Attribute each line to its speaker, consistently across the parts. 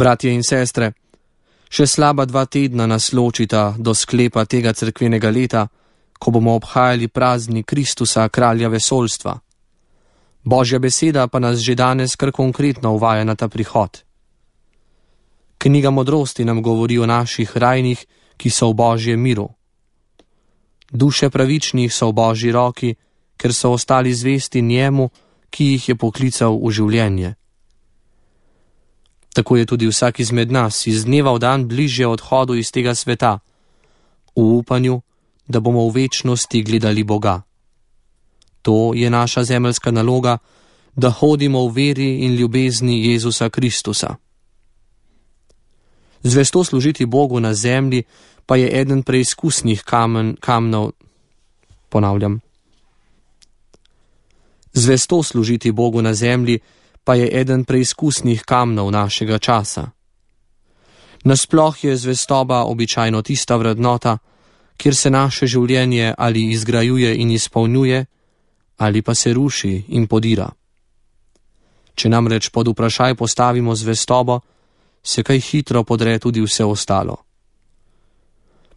Speaker 1: Bratje in sestre, še slaba 2 tedna nas ločita do sklepa tega cerkvenega leta, ko bomo obhajali praznik Kristusa, kralja vesoljstva. Božja beseda pa nas že danes kar konkretno uvaja na ta prihod. Knjiga modrosti nam govori o naših rajnih, ki so v Božjem miru. Duše pravičnih so v Božji roki, ker so ostali zvesti njemu, ki jih je poklical v življenje. Tako je tudi vsak izmed nas iz dneva v dan bližje odhodu iz tega sveta, v upanju, da bomo v večnosti gledali Boga. To je naša zemeljska naloga, da hodimo v veri in ljubezni Jezusa Kristusa. Zvesto služiti Bogu na zemlji pa je eden preizkusnih kamnov. Zvesto služiti Bogu na zemlji pa je eden preizkusnih kamnov našega časa. Nasploh je zvestoba običajno tista vrednota, kjer se naše življenje ali izgrajuje in izpolnjuje, ali pa se ruši in podira. Če namreč pod vprašaj postavimo zvestobo, se kaj hitro podre tudi vse ostalo.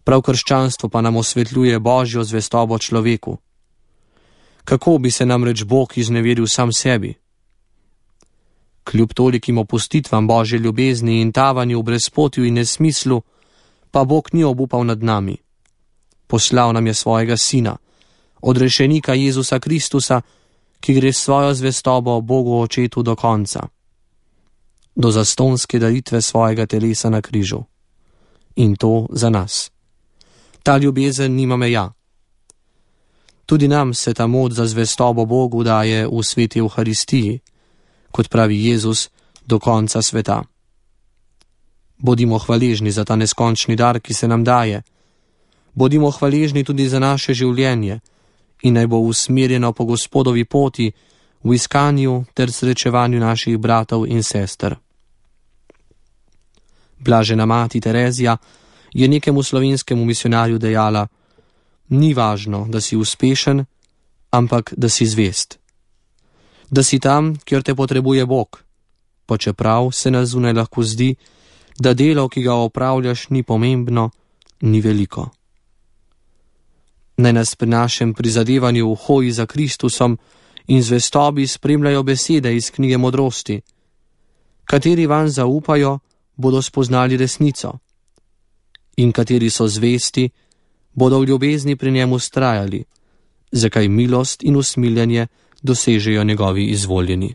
Speaker 1: Prav krščanstvo pa nam osvetljuje Božjo zvestobo človeku. Kako bi se namreč Bog izneveril sam sebi? Kljub tolikim opustitvam Božje ljubezni in tavanju v brezpotju in nesmislu, pa Bog ni obupal nad nami. Poslal nam je svojega sina, odrešenika Jezusa Kristusa, ki gre svojo zvestobo Bogu Očetu do konca, do zastonske daritve svojega telesa na križu. In to za nas. Ta ljubezen nima meja. Tudi nam se ta moč za zvestobo Bogu daje v sveti Evharistiji, kot pravi Jezus, do konca sveta. Bodimo hvaležni za ta neskončni dar, ki se nam daje. Bodimo hvaležni tudi za naše življenje in naj bo usmerjeno po Gospodovi poti v iskanju ter srečevanju naših bratov in sester. Blažena mati Terezija je nekemu slovenskemu misionarju dejala: ni važno, da si uspešen, ampak da si zvest. Da si tam, kjer te potrebuje Bog, pa čeprav se na zunaj lahko zdi, da delo, ki ga opravljaš, ni pomembno, ni veliko. Naj nas pri našem prizadevanju v hoji za Kristusom in zvestobi spremljajo besede iz knjige modrosti. Kateri vanj zaupajo, bodo spoznali resnico. In kateri so zvesti, bodo v ljubezni pri njemu vztrajali, zakaj milost in usmiljenje dosežejo njegovi izvoljeni.